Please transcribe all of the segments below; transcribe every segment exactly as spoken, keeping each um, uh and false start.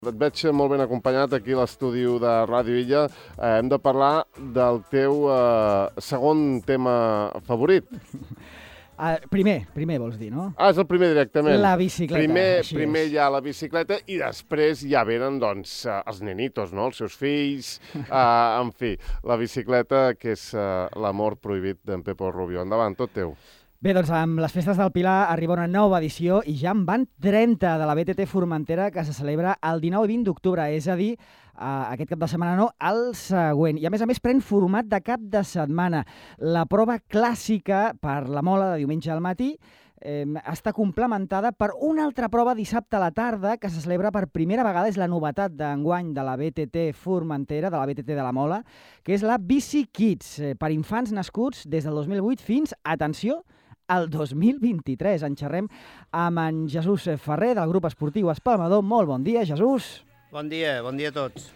Et veig molt ben acompanyat aquí a l'estudi de Ràdio Illa. Eh, hem de parlar del teu eh, segon tema favorit. Uh, primer, primer vols dir, no? Ah, és el primer directament. La bicicleta, Primer, així primer és. hi ha la bicicleta i després ja venen, doncs, eh, els nenitos, no? Els seus fills, eh, en fi, la bicicleta, que és eh, l'amor prohibit d'en Pepo Rubio. Endavant, tot teu. Bé, doncs amb les festes del Pilar arriba una nova edició i ja en van trenta de la B T T Formentera que se celebra el dinou i vint d'octubre, és a dir, uh, aquest cap de setmana no, el següent. I a més a més pren format de cap de setmana. La prova clàssica per la Mola de diumenge al matí eh, està complementada per una altra prova dissabte a la tarda que se celebra per primera vegada, és la novetat d'enguany de la B T T Formentera, de la B T T de la Mola, que és la Bici Kids, eh, per infants nascuts des del dos mil vuit fins, atenció, el dos mil vint-i-tres. En xerrem amb en Jesús Ferrer, del grup esportiu Espalmador. Molt bon dia, Jesús. Bon dia, bon dia a tots.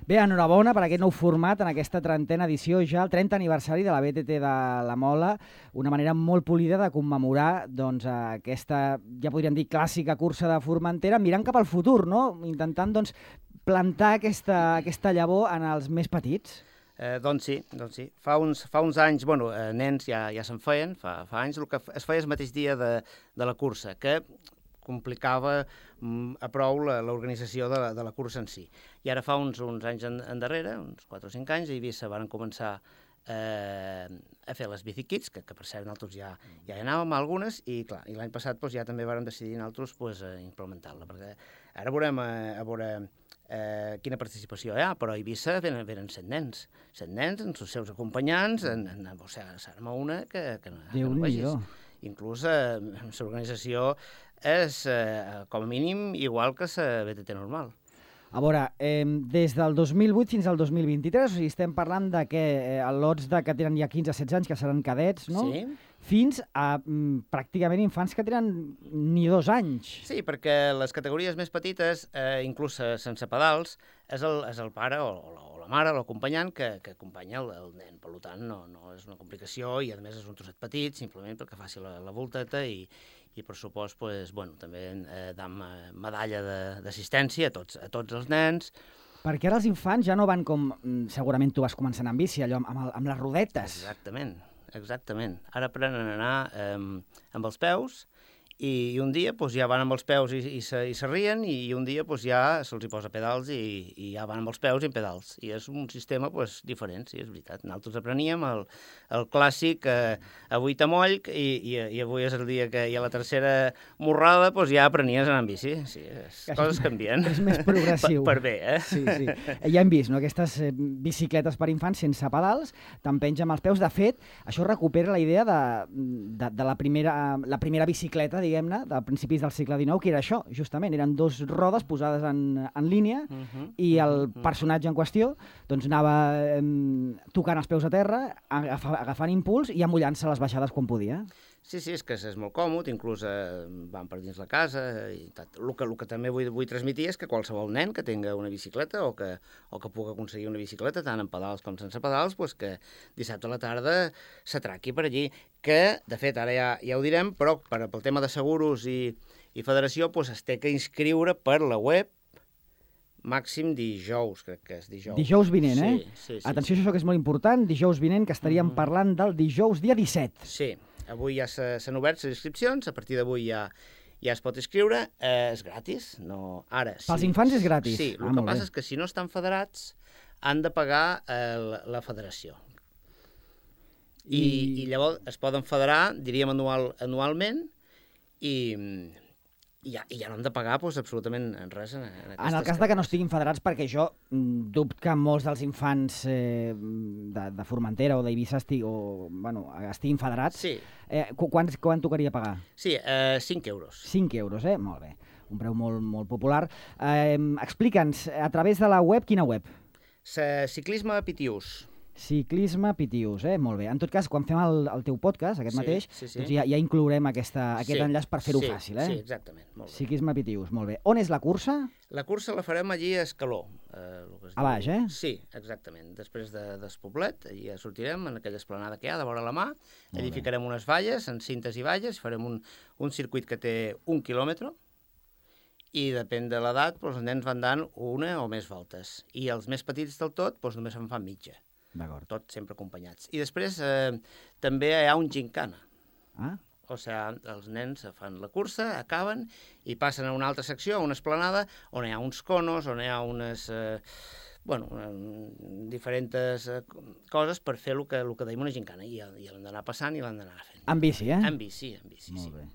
Bé, enhorabona per aquest nou format en aquesta trentena edició, ja el trenta aniversari de la B T T de la Mola, una manera molt polida de commemorar doncs, aquesta, ja podríem dir, clàssica cursa de Formentera, mirant cap al futur, no? Intentant doncs, plantar aquesta, aquesta llavor en els més petits. Eh, doncs sí, doncs sí. Fa uns, fa uns anys, bueno, eh, nens ja, ja se'n feien, fa, fa anys, el que es feia el mateix dia de, de la cursa, que complicava mm, a prou l'organització de, la, de la cursa en si. I ara fa uns, uns anys en, endarrere, uns quatre o cinc anys, a Eivissa van començar eh, a fer les Bici Kids, que, que per cert nosaltres ja, ja hi anàvem a algunes, i clar, i l'any passat doncs, ja també vam decidir nosaltres pues, eh, implementar-la, perquè ara veurem a, a veure eh, quina participació hi ha, però a Eivissa venen, venen set nens, set nens amb els seus acompanyants, en, en, en, o sigui, s'arma una que, que, no, que no vegis. Inclús eh, l'organització és, eh, com a mínim, igual que la B T T normal. A veure, eh, des del dos mil vuit fins al dos mil vint-i-tres, o sigui, estem parlant de que eh, lots de que tenen ja quinze a setze anys, que seran cadets, no? Sí. Fins a mm, pràcticament infants que tenen ni dos anys. Sí, perquè les categories més petites, eh, inclús sense pedals, és el, és el pare o, o, la, o la mare, l'acompanyant, que, que acompanya el, el nen. Per tant, no, no és una complicació i, a més, és un trosset petit, simplement perquè faci la, la volteta i, i per supost, pues, bueno, també eh, dam medalla d'assistència a tots, a tots els nens. Perquè ara els infants ja no van com, segurament tu vas començant amb bici, allò amb, el, amb les rodetes. Exactament. Exactament. Ara aprenen a anar eh, amb els peus i, i un dia pues, ja van amb els peus i, i, se, i se rien i, i un dia pues, ja se'ls hi posa pedals i, i ja van amb els peus i amb pedals. I és un sistema pues, diferent, sí, és veritat. Nosaltres apreníem el, el clàssic eh, avui t'amoll i, i, i avui és el dia que hi ha la tercera morrada, pues, ja aprenies a anar amb bici. Sí, és, coses canvien. És més progressiu. Per, per bé, eh? Sí, sí. Ja hem vist, no? Aquestes eh, bicicletes per infants sense pedals, t'empenja amb els peus. De fet, això recupera la idea de, de, de la, primera, la primera bicicleta, diguem-ne, de principis del segle dinou, que era això, justament, eren dos rodes posades en, en línia uh -huh, i el uh -huh. personatge en qüestió doncs anava eh, tocant els peus a terra, agaf agafant impuls i amullant-se les baixades quan podia. Sí, sí, és que és molt còmode, inclús eh, van per dins la casa i tot. El que, el que també vull, vull transmetir és que qualsevol nen que tinga una bicicleta o que, o que pugui aconseguir una bicicleta, tant amb pedals com sense pedals, pues que dissabte a la tarda s'atraqui per allí, que, de fet, ara ja, ja ho direm, però per, pel tema de seguros i, i federació pues, es té que inscriure per la web màxim dijous, crec que és dijous. Dijous vinent, eh? Sí, sí, sí. Atenció, sí. Això que és molt important, dijous vinent, que estaríem mm -hmm. parlant del dijous dia disset. Sí. Avui ja s'han obert les inscripcions, a partir d'avui ja, ja es pot inscriure, eh, és gratis, no... Ara, sí. Pels infants és gratis? Sí, el ah, que passa és que si no estan federats han de pagar eh, la, la federació. I... I, I llavors es poden federar, diríem anual, anualment, i, i, ja, i ja no han de pagar pues, absolutament res. En, en, en el cas de que no estiguin federats, perquè jo dubto que molts dels infants eh, de, de Formentera o d'Eivissa esti, bueno, estiguin federats. Sí. Eh, quan, quan tocaria pagar? Sí, eh, cinc euros. cinc euros, eh? Molt bé. Un preu molt, molt popular. Eh, Explica'ns, a través de la web, quina web? Ciclisme Pitius. Ciclisme Pitius, eh? Molt bé. En tot cas, quan fem el, el teu podcast, aquest sí, mateix, sí, sí. doncs ja, ja inclourem aquesta, aquest sí, enllaç per fer-ho sí, fàcil, eh? Sí, exactament. Molt bé. Ciclisme Pitius, molt bé. On és la cursa? La cursa la farem allí a Escaló. Eh, a baix, eh? Sí, exactament. Després de, del Poblet, allí ja sortirem, en aquella esplanada que hi ha, de vora la mà, allí ficarem unes valles, en cintes i valles, farem un, un circuit que té un quilòmetre, i depèn de l'edat, doncs, els nens van dant una o més voltes. I els més petits del tot doncs, només en fan mitja. D'acord. Tot sempre acompanyats. I després eh, també hi ha un gincana. Ah? O sigui, els nens fan la cursa, acaben i passen a una altra secció, a una esplanada, on hi ha uns conos, on hi ha unes... Eh, bueno, diferents eh, coses per fer el que, el que deim una gincana. I, i l'han d'anar passant i l'han d'anar fent. En bici, eh? En bici, en bici, Molt sí. bé.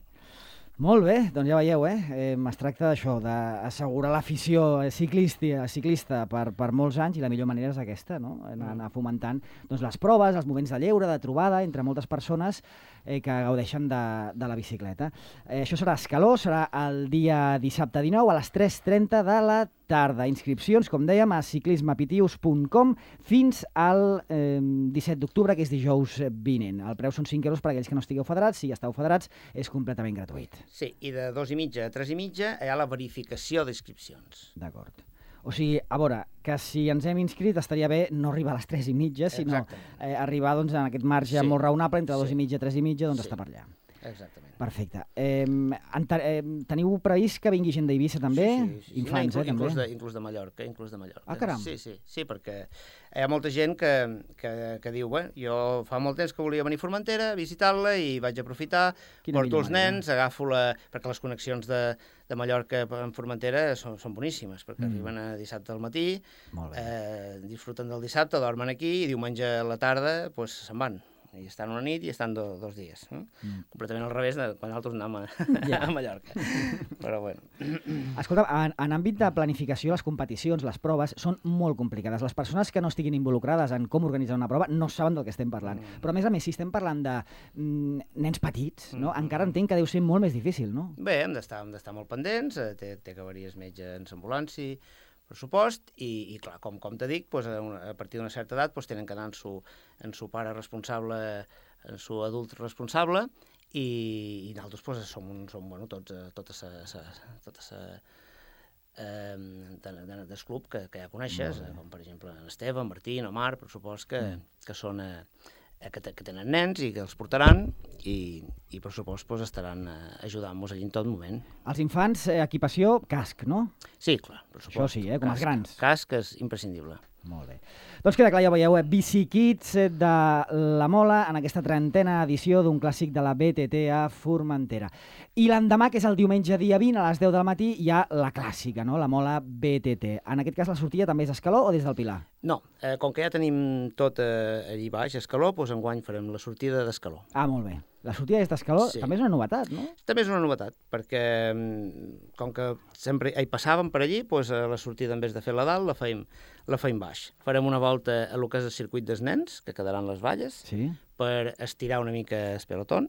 Molt bé, doncs ja veieu, eh? eh es tracta d'això, d'assegurar l'afició ciclista, ciclista per, per molts anys, i la millor manera és aquesta, no? Anar, anar fomentant doncs, les proves, els moments de lleure, de trobada entre moltes persones eh, que gaudeixen de, de la bicicleta. Eh, això serà a Escaló, serà el dia dissabte dinou a les tres trenta de la tarda. Inscripcions, com dèiem, a ciclismapitius punt com fins al eh, disset d'octubre, que és dijous vinent. El preu són cinc euros per a aquells que no estigueu federats. Si ja esteu federats, és completament gratuït. Sí, i de dos i mitja a tres i mitja hi ha la verificació d'inscripcions. D'acord. O sigui, a veure, que si ens hem inscrit estaria bé no arribar a les tres i mitja, sinó eh, arribar doncs, en aquest marge sí. molt raonable, entre dos sí. i mitja i tres i mitja, doncs sí. estar per allà. Exactament. Perfecte. Eh, eh, teniu previst que vingui gent d'Eivissa també? Sí, sí, sí. Infants, no, inclús, eh, també? Inclús de, inclús de Mallorca, inclús de Mallorca. Ah, caram. Sí, sí, sí, perquè hi ha molta gent que, que, que diu, bé, jo fa molt temps que volia venir a Formentera, visitar-la, i vaig aprofitar, Quina porto els nens, manera. agafo la... perquè les connexions de, de Mallorca en Formentera són, són boníssimes, perquè mm. arriben a dissabte al matí, eh, disfruten del dissabte, dormen aquí, i diumenge a la tarda pues, se'n van. I estan una nit i estan do, dos dies. Eh? Mm. Completament al revés de quan nosaltres anàvem a, yeah. a Mallorca. Però bueno. Escolta, en, en àmbit de planificació, les competicions, les proves, són molt complicades. Les persones que no estiguin involucrades en com organitzar una prova no saben del que estem parlant. Mm. Però a més a més, si estem parlant de mm, nens petits, no? mm. encara entenc que deu ser molt més difícil, no? Bé, hem d'estar hem d'estar molt pendents, té, té que haver-hi metge en l'ambulància, pressupost, i, i clar, com, com te dic, doncs, a, una, a partir d'una certa edat doncs, tenen que anar en su, en su pare responsable, en su adult responsable, i, i nosaltres doncs, som, un, som bueno, tots, tota sa, sa, tota sa, eh, de, de, del club que, que ja coneixes, com per exemple en Esteve, en Martí, en Omar, per supost que, mm. que són... Eh, Que, que tenen nens i que els portaran, i, i per supost pues, estaran eh, ajudant-nos allí en tot moment. Els infants, eh, equipació, casc, no? Sí, clar, per supost. Això sí, eh, com casc, els grans. Casc és imprescindible. Molt bé. Doncs queda clar, ja veieu, eh, Bicikids de la Mola en aquesta trentena edició d'un clàssic de la B T T a Formentera. I l'endemà, que és el diumenge dia vint, a les deu del matí, hi ha la clàssica, no? La Mola B T T. En aquest cas la sortida també és a Escaló o des del Pilar? No, eh, com que ja tenim tot eh, allí baix, a Escaló, doncs enguany farem la sortida d'Escaló. Ah, molt bé. La sortida des d'Escaló sí. també és una novetat, no? També és una novetat, perquè com que sempre hi passàvem per allí, doncs la sortida, en vez de fer la dalt, la feim, la feim baix. Farem una volta a lo que és el circuit dels nens, que quedaran les valles, sí. per estirar una mica el pelotón,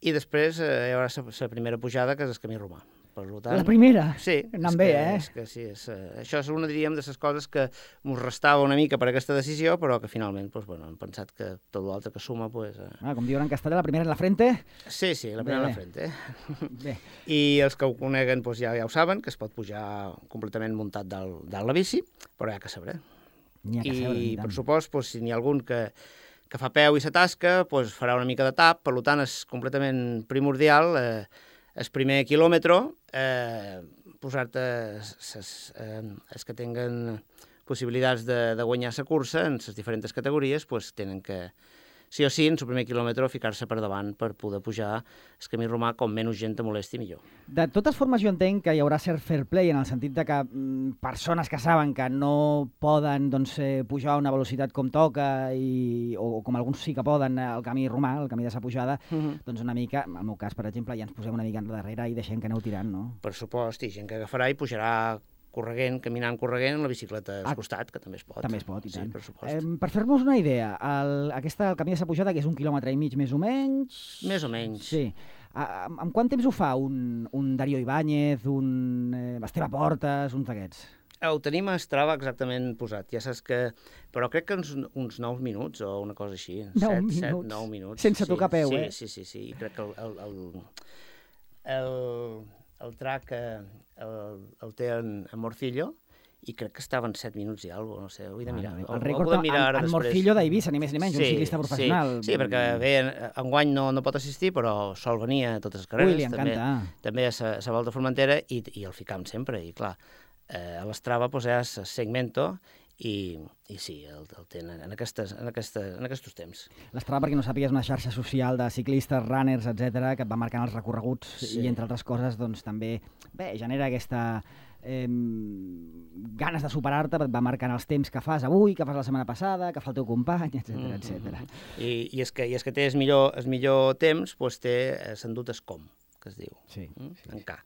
i després eh, hi haurà la primera pujada, que és el camí romà. Per tant, la primera? Sí. Anant bé, que, eh? És que sí, és, uh, això és una, diríem, de les coses que ens restava una mica per aquesta decisió, però que finalment pues, bueno, hem pensat que tot l'altre que suma... Pues, uh... ah, com diuen en castellà, la primera en la frente? Sí, sí, la primera bé, en la frente. Eh? Bé. I els que ho coneguen pues, ja, ja ho saben, que es pot pujar completament muntat dalt, dalt la bici, però hi ha que saber. Hi ha que saber, I, per supost, pues, si n'hi ha algun que, que fa peu i s'atasca, pues, farà una mica de tap, per tant és completament primordial eh, el primer quilòmetre, eh, posar-te els que tinguen possibilitats de, de guanyar la cursa en les diferents categories, pues, tenen que, sí o sí, en el primer quilòmetre, ficar-se per davant per poder pujar el camí romà com menys gent te molesti millor. De totes formes, jo entenc que hi haurà cert fair play en el sentit de que mm, persones que saben que no poden doncs, eh, pujar a una velocitat com toca, i, o, o com alguns sí que poden, el camí romà, el camí de sa pujada, uh-huh. doncs una mica, en el meu cas, per exemple, ja ens posem una mica darrere i deixem que aneu tirant, no? Per supost, i gent que agafarà i pujarà correguent, caminant, correguent, en la bicicleta al ah, costat, que també es pot. També es pot, i tant. Sí, per supost. Eh, per fer-nos una idea, el, aquesta, el camí de sa pujada, que és un quilòmetre i mig més o menys... Més o menys. Sí. En, en quant temps ho fa un, un Darío Ibáñez, un eh, Esteve Portes, uns d'aquests? Ho tenim a Strava exactament posat, ja saps que... Però crec que uns, uns nou minuts o una cosa així. nou set, minuts? set, nou minuts. Sense sí, tocar peu, sí, eh? Sí, sí, sí. I crec que el, el, el, el, el track el, el té en, en Morcillo, i crec que estaven set minuts i alguna cosa, no sé, ho he de mirar. El El rècord en, en Morcillo d'Eivissa, ni més ni menys, un ciclista professional. Sí, sí, perquè bé, enguany no, no pot assistir, però sol venir a totes les carreres. Ui, li encanta. També, també a la, la Volta a Formentera i, i el ficam sempre, i clar, eh, a l'Strava pues, ja es segmento i, i sí, el, el tenen en, aquestes, en, aquestes, en aquests temps. L'Strava, perquè no sàpigues, és una xarxa social de ciclistes, runners, etcètera, que et va marcant els recorreguts sí. i, entre altres coses, doncs també bé, genera aquesta eh, ganes de superar-te, et va marcant els temps que fas avui, que fas la setmana passada, que fa el teu company, etcètera, mm-hmm. etcètera. I, i, és que, I és que té el millor, el millor temps, doncs té s'endut es com, que es diu, sí, mm? sí, en K.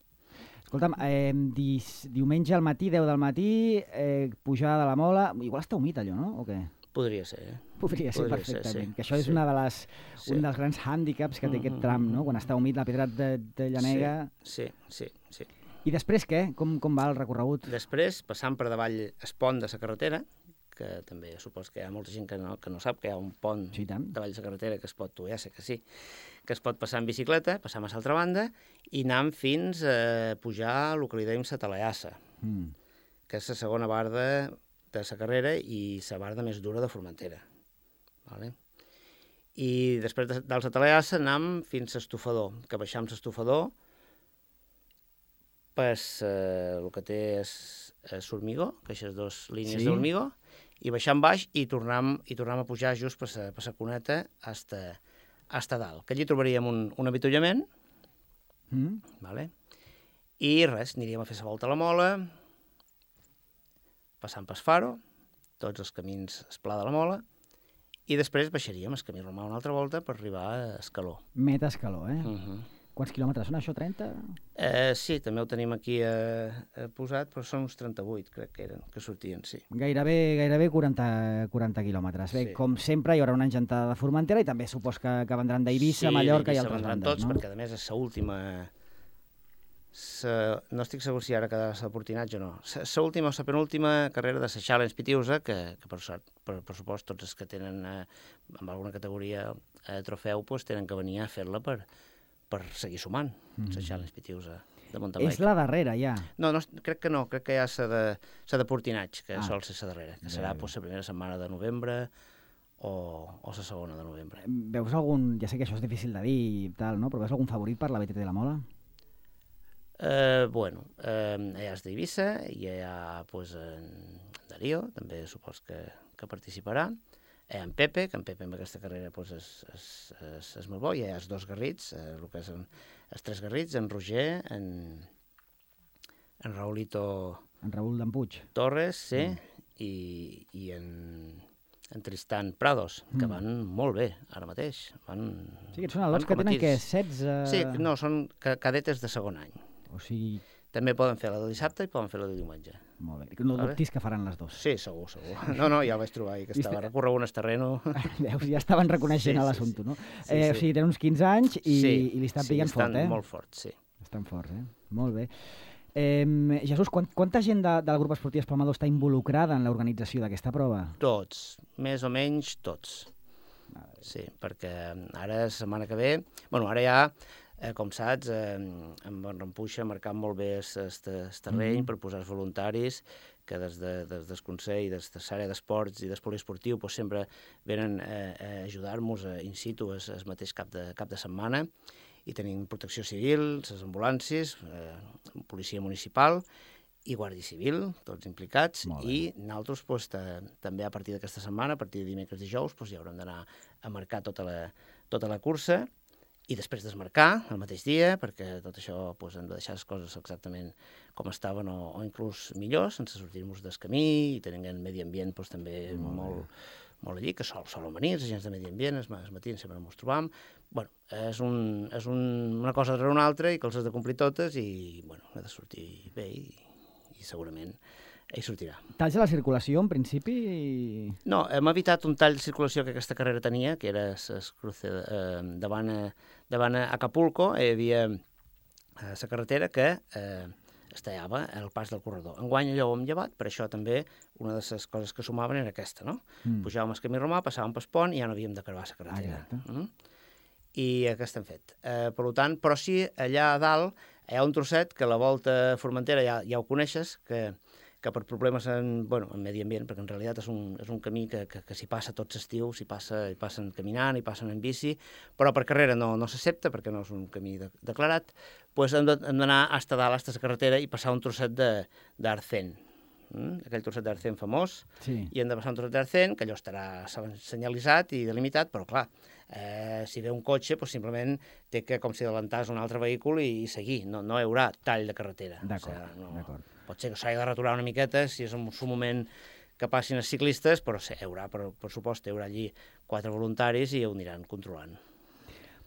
Escolta'm, eh, di, diumenge al matí, deu del matí, eh, pujada de la Mola... Igual està humit allò, no? O què? Podria ser, eh? Podria ser, Podria perfectament. Ser, sí. Que això és sí. una de les, sí. un dels grans hàndicaps que té aquest tram, no? Quan està humit, la pedra de, de llanega... Sí, sí, sí. sí. I després què? Com, com va el recorregut? Després, passant per davall es pont de la carretera, que també supos que hi ha molta gent que no, que no sap que hi ha un pont sí, davall de la carretera que es pot, tu ja sé que sí, que es pot passar en bicicleta, passar a l'altra banda i anar fins a pujar el que li dèiem la Talaiassa, mm. que és la segona barda de la carrera i la barda més dura de Formentera. Vale? I després de, del Talaiassa anem fins a l'estofador, que baixam l'estofador per eh, el que té és, és formigó, que aquestes dues línies sí? d'hormigó, i baixam baix i tornem, i tornem a pujar just per la, per la cuneta hasta, hasta dalt. Que allí trobaríem un, un avituallament, mm. vale? I res, aniríem a fer la volta a la Mola, passant pel Faro, tots els camins es Pla de la Mola, i després baixaríem el camí romà una altra volta per arribar a Escaló. Meta Escaló, eh? Uh-huh. Quants quilòmetres són això, trenta? Eh, sí, també ho tenim aquí eh, eh, posat, però són uns trenta-vuit, crec que eren, que sortien, sí. Gairebé, gairebé quaranta, quaranta quilòmetres. Bé, sí. Com sempre, hi haurà una engentada de Formentera i també supos que, que vendran d'Eivissa, sí, Mallorca i altres bandes, tots, no? Perquè a més és l'última... No estic segur si ara quedarà el Portinatge o no. L'última o la penúltima carrera de la Challenge Pitiusa, que, que per, per, per supost tots els que tenen eh, amb alguna categoria eh, trofeu pues, tenen que venir a fer-la per... per seguir sumant, mm. la Challenge Pitiusa de mountain bike. És la darrera, ja? No, no, crec que no, crec que hi ha la de, de Portinatge, que ah. sol ser la darrera, que bé, serà pues, la primera setmana de novembre o, o la segona de novembre. Veus algun, ja sé que això és difícil de dir i tal, no? Però veus algun favorit per la B T T de la Mola? Eh, bueno, eh, hi ha d'Eivissa, hi ha pues, en Darío, també supos que, que participarà. Hi ha en Pepe, que en Pepe amb aquesta carrera pues, és, és, és, és molt bo. Hi ha els dos Garrits, eh, el que és en, els tres Garrits, en Roger, en, en Raulito... En Raül d'Empuig. Torres, sí, mm. i, i en, en Tristan Prados, que mm. van molt bé ara mateix. Van, sí, que són els que tenen que setze... Sí, no, són cadetes de segon any. O sigui... També poden fer la del dissabte i poden fer la del diumenge. Molt bé. No vale? Dubtis que faran les dues. Sí, segur, segur. No, no, ja el vaig trobar ahir, que estava recorregut en el terreno. Veus, ja estaven reconeixent sí, l'assumpte, sí, no? Sí, eh, sí. O sigui, tenen uns quinze anys i, sí, i li estan sí, pillant fort, eh? estan molt forts, sí. Estan forts, eh? Molt bé. Eh, Jesús, quant, quanta gent de, del grup esportiu Espalmador està involucrada en l'organització d'aquesta prova? Tots, més o menys tots. Sí, perquè ara, la setmana que ve... Bueno, ara ja... Eh, com saps, eh, en Bonrampuixa ha marcat molt bé el terreny mm. per posar els voluntaris que des, de, des del Consell, des de l'àrea d'esports i del poliesportiu pues, sempre venen eh, a ajudar-nos in situ el mateix cap de, cap de setmana i tenim protecció civil, les ambulàncies, eh, policia municipal i Guàrdia Civil, tots implicats, i nosaltres pues, també a partir d'aquesta setmana, a partir de dimecres i dijous, pues, ja haurem d'anar a marcar tota la, tota la cursa i després desmarcar el mateix dia, perquè tot això pues, hem de deixar les coses exactament com estaven o, o inclús millor, sense sortir-nos del camí i tenint el medi ambient pues, també molt, molt, molt allí, que sol, solen venir els agents de medi ambient, els matins sempre ens trobam. Bueno, és, un, és un, una cosa darrere una altra i que els has de complir totes i bueno, ha de sortir bé i, i segurament hi sortirà. Talls a la circulació, en principi? No, hem evitat un tall de circulació que aquesta carrera tenia, que era es cruce eh, davant, a, davant a Acapulco, hi havia la eh, carretera que eh, es tallava el pas del corredor. Enguany allò ho hem llevat, per això també una de les coses que sumaven era aquesta, no? Mm. Pujàvem el camí romà, passàvem pel pont i ja no havíem de creuar la carretera. Ah, mm? I aquesta hem fet. Eh, per tant, però sí, allà a dalt hi ha un trosset que la volta a Formentera ja, ja ho coneixes, que que per problemes en, bueno, en medi ambient, perquè en realitat és un, és un camí que, que, que s'hi passa tot l'estiu, s'hi passa, hi passen caminant, hi passen en bici, però per carrera no, no s'accepta, perquè no és un camí de, declarat, doncs hem d'anar fins a dalt, fins a la carretera, i passar un trosset d'Arcén. Mm? Aquell trosset d'Arcén famós, sí. I hem de passar un trosset d'Arcén, que allò estarà senyalitzat i delimitat, però clar, eh, si ve un cotxe, doncs simplement té que, com si adelantàs un altre vehícul i, i seguir, no, no hi haurà tall de carretera. D'acord, o sigui, no, d'acord. Pot ser que s'hagi de retorar una miqueta, si és en un moment que passin els ciclistes, però sí, hi haurà, per, per supost, hi haurà allí quatre voluntaris i ho aniran controlant.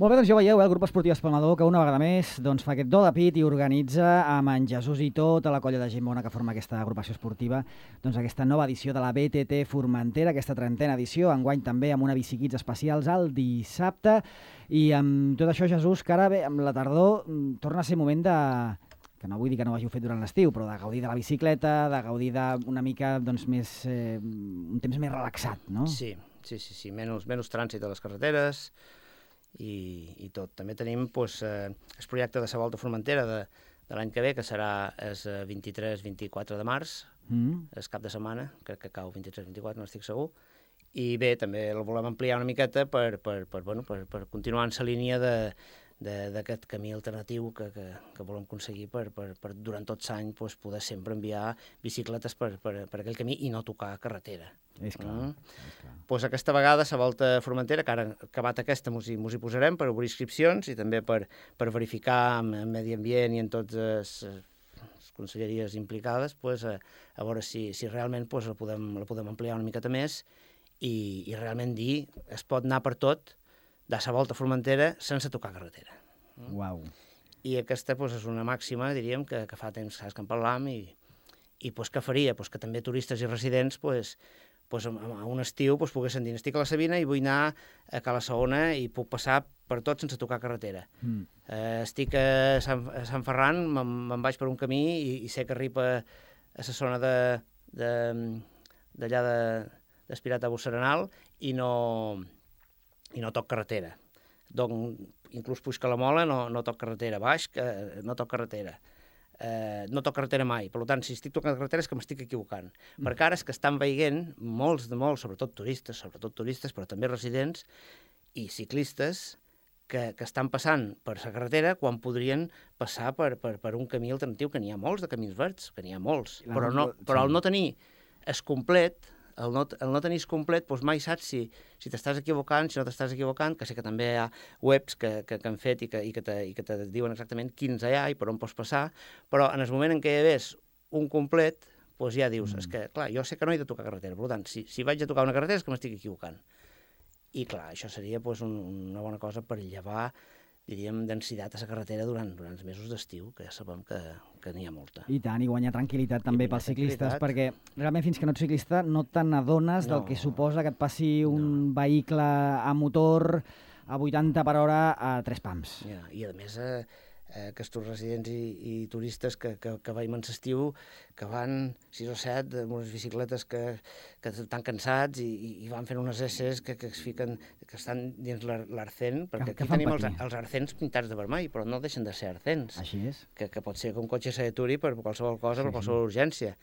Molt bé, doncs ja veieu, eh, el grup esportiu Espalmador, que una vegada més doncs, fa aquest do de pit i organitza amb en Jesús i tota la colla de gent bona que forma aquesta agrupació esportiva doncs, aquesta nova edició de la B T T Formentera, aquesta trentena edició, enguany també amb una bicikits especials el dissabte. I amb tot això, Jesús, que ara bé, amb la tardor torna a ser moment de... que no vull dir que no ho hàgiu fet durant l'estiu, però de gaudir de la bicicleta, de gaudir d'una mica doncs, més, eh, un temps més relaxat, no? Sí, sí, sí, sí. Menys, menys trànsit a les carreteres, i, i tot. També tenim doncs, eh, el projecte de la Volta Formentera de, de l'any que ve, que serà el vint-i-tres vint-i-quatre de març, mm. el cap de setmana, crec que cau vint-i-tres vint-i-quatre, no estic segur, i bé, també el volem ampliar una miqueta per, per, per, bueno, per, per continuar en la línia de d'aquest camí alternatiu que, que, que volem aconseguir per, per, per durant tot l'any pues, poder sempre enviar bicicletes per, per, per aquell camí i no tocar carretera. És clar. Mm? És clar. Pues aquesta vegada la Volta Formentera, que ara acabat aquesta mos hi, mos hi posarem per obrir inscripcions i també per, per verificar en, en medi ambient i en totes les, les conselleries implicades pues, a, a veure si, si realment pues, la, podem, la podem ampliar una miqueta més i, i realment dir es pot anar per tot de la Volta Formentera sense tocar carretera. Uau. I aquesta pues, és una màxima, diríem, que, que fa temps que en parlam i, i pues, què faria? Pues, que també turistes i residents pues, pues, a, a un estiu pues, poguessin dir estic a la Sabina i vull anar a Cala Saona i puc passar per tot sense tocar carretera. Mm. Eh, estic a Sant, a Sant Ferran, me'n vaig per un camí i, i sé que arriba a la zona de, de, d'allà de, d'Espirat a Busserenal i no... i no toc carretera. Donc, inclús puix que la Mola no, no toc carretera, baix que no toc carretera. Eh, no toc carretera mai. Per tant, si estic tocant carretera és que m'estic equivocant. Mm. Perquè ara és que estan veient molts de molts, sobretot turistes, sobretot turistes, però també residents i ciclistes que, que estan passant per la carretera quan podrien passar per, per, per un camí alternatiu, que n'hi ha molts de camins verds, que n'hi ha molts. La però, no, però al no tenir es complet... El no, el no tenir complet, doncs mai saps si, si t'estàs equivocant, si no t'estàs equivocant, que sé que també hi ha webs que, que, que han fet i que, i, que te, i que te diuen exactament quins hi ha i per on pots passar, però en el moment en què hi hagués un complet, doncs ja dius, mm. és que, clar, jo sé que no he de tocar carretera, per tant, si, si vaig a tocar una carretera és que m'estic equivocant. I, clar, això seria doncs, un, una bona cosa per llevar, diríem, densitat a la carretera durant, durant els mesos d'estiu, que ja sabem que, que n'hi ha molta. I tant, i guanyar tranquil·litat també pels ciclistes, perquè realment fins que no ets ciclista no te n'adones no. del que suposa que et passi un no. vehicle a motor a vuitanta per hora a tres pams. Ja, i a més, eh, eh, aquests residents i, i turistes que, que, que veiem en l'estiu, que van sis o set amb unes bicicletes que, que estan cansats i, i van fent unes esses que, que es fiquen, que estan dins l'Arcén, perquè que, aquí tenim els, els Arcens pintats de vermell, però no deixen de ser Arcens. Així és. Que, que pot ser que un cotxe s'aturi per qualsevol cosa, sí, per qualsevol sí. urgència.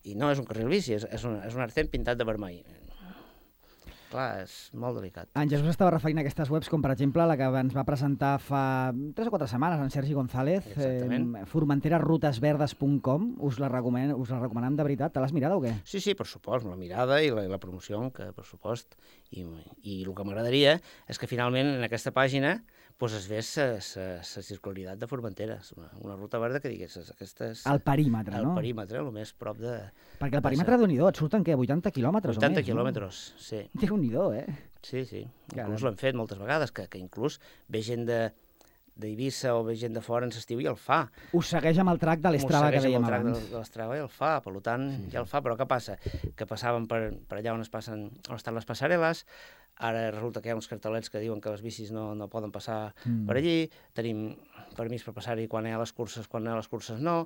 I no és un carril bici, és, és, un, és un Arcén pintat de vermell. Clar, és molt delicat. En Jesús estava referint a aquestes webs, com per exemple la que ens va presentar fa tres o quatre setmanes en Sergi González, eh, formentera rutes verdes punt com. Us la recomanem, us la recomanem de veritat. Te l'has mirada o què? Sí, sí, per supost, la mirada i la, la promoció, que per supost. I, i el que m'agradaria és que finalment en aquesta pàgina pues, es vés la circularitat de Formentera, una, una ruta verda que digués aquestes... El perímetre, el no? El perímetre, el més prop de... Perquè el perímetre de Déu-n'hi-do, et surten què? vuitanta quilòmetres o més? vuitanta quilòmetres, no? Sí. Déu-n'hi-do, eh? Sí, sí. Inclús l'han fet moltes vegades, que, que inclús ve gent de d'Eivissa o ve gent de fora en l'estiu i el fa. Us segueix amb el track de l'Strava que dèiem abans. Us segueix amb el track de, de l'Strava i el fa, per tant, sí, sí. ja el fa, però què passa? Que passaven per, per allà on, es passen, on estan les passarel·les, ara resulta que hi ha uns cartelets que diuen que les bicis no, no poden passar mm. per allí, tenim permís per passar-hi quan hi ha les curses, quan hi ha les curses no.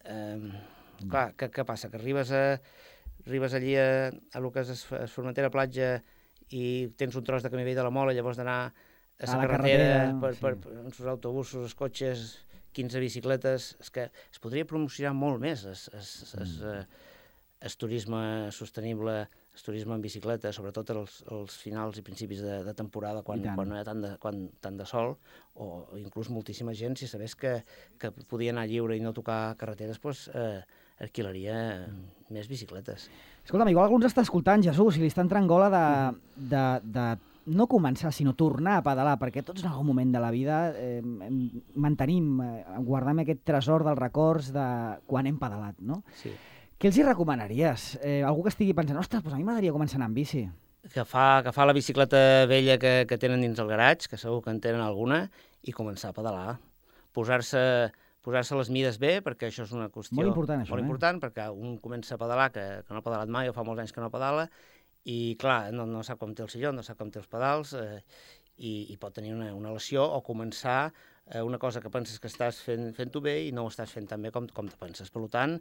Eh, mm. Clar, què, què passa? Que arribes, a, arribes allí a, a lo que és Formentera Platja i tens un tros de camí vell de la Mola, llavors d'anar a la carretera, carretera per, per, sí. per els autobusos, els cotxes, quinze bicicletes, és que es podria promocionar molt més es, es, es, mm. es turisme sostenible, el turisme en bicicleta, sobretot els, els finals i principis de, de temporada, quan, quan no hi ha tant de, quan, tant de sol, o inclús moltíssima gent, si sabés que, que podia anar lliure i no tocar carreteres, doncs eh, alquilaria mm. més bicicletes. Escolta'm, igual algú ens està escoltant, Jesús, i li està entrant gola de, de, de no començar, sinó tornar a pedalar, perquè tots en algun moment de la vida eh, mantenim, eh, guardem aquest tresor dels records de quan hem pedalat, no? Sí. Què els hi recomanaries? Eh, algú que estigui pensant, ostres, doncs a mi m'agradaria començar a anar amb bici. Agafar, agafar la bicicleta vella que, que tenen dins el garatge, que segur que en tenen alguna, i començar a pedalar. Posar-se posar-se les mides bé, perquè això és una qüestió molt important, això, molt eh? important, perquè un comença a pedalar, que, que no ha pedalat mai o fa molts anys que no pedala, i clar, no, no sap com té el silló, no sap com té els pedals, eh, i, i pot tenir una, una lesió o començar eh, una cosa que penses que estàs fent, fent-ho bé i no ho estàs fent tan bé com, com te penses. Per tant,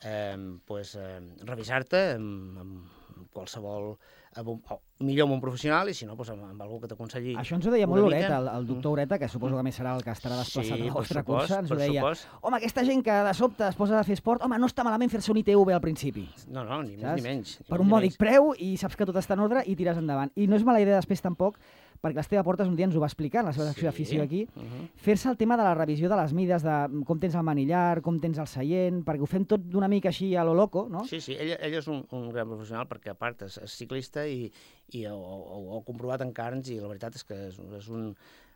eh, pues, eh, revisar-te amb, amb qualsevol, amb un, o, millor amb un professional i si no, pues, amb, amb algú que t'aconselli. Això ens ho deia molt Ureta, el, el doctor Ureta, que suposo que més serà el que estarà desplaçat sí, a la vostra supòs, cursa, ens ho deia. Supòs. Home, aquesta gent que de sobte es posa a fer esport, home, no està malament fer-se un I T V al principi. No, no, ni saps? més ni menys. Ni per més, un ni mòdic menys. preu i saps que tot està en ordre i tires endavant. I no és mala idea després tampoc, perquè l'Esteve Portes un dia ens ho va explicar en la seva secció Sí. d'afició aquí, Uh -huh. fer-se el tema de la revisió de les mides, de com tens el manillar, com tens el seient, perquè ho fem tot d'una mica així a lo loco, no? Sí, sí, ell, ell és un, un gran professional perquè a part és, és ciclista i, i ho, ho, ho ha comprovat en carns i la veritat és que és, és, un,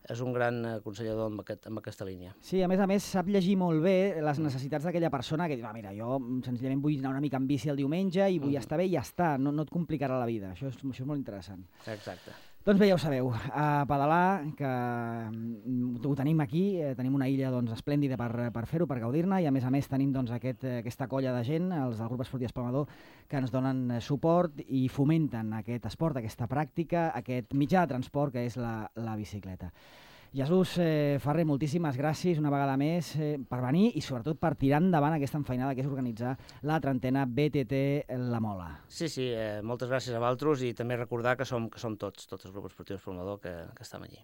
és un gran aconsellador amb, aquest, amb aquesta línia. Sí, a més a més sap llegir molt bé les necessitats d'aquella persona que diu, ah, mira, jo senzillament vull anar una mica amb bici el diumenge i vull Mm. estar bé i ja està, no, no et complicarà la vida. Això és, això és molt interessant. Exacte. Doncs bé, ja ho sabeu, a pedalar, que mm, ho tenim aquí, eh, tenim una illa doncs, esplèndida per, per fer-ho, per gaudir-ne, i a més a més tenim doncs, aquest, eh, aquesta colla de gent, els del grup esportiu Espalmador, que ens donen eh, suport i fomenten aquest esport, aquesta pràctica, aquest mitjà de transport que és la, la bicicleta. Jesús eh, Ferrer, moltíssimes gràcies una vegada més eh, per venir i sobretot per tirar endavant aquesta enfeinada que és organitzar la trentena B T T La Mola. Sí, sí, eh, moltes gràcies a vosaltres i també recordar que som, que som tots, tots els grups esportius Espalmador que, que estem allí.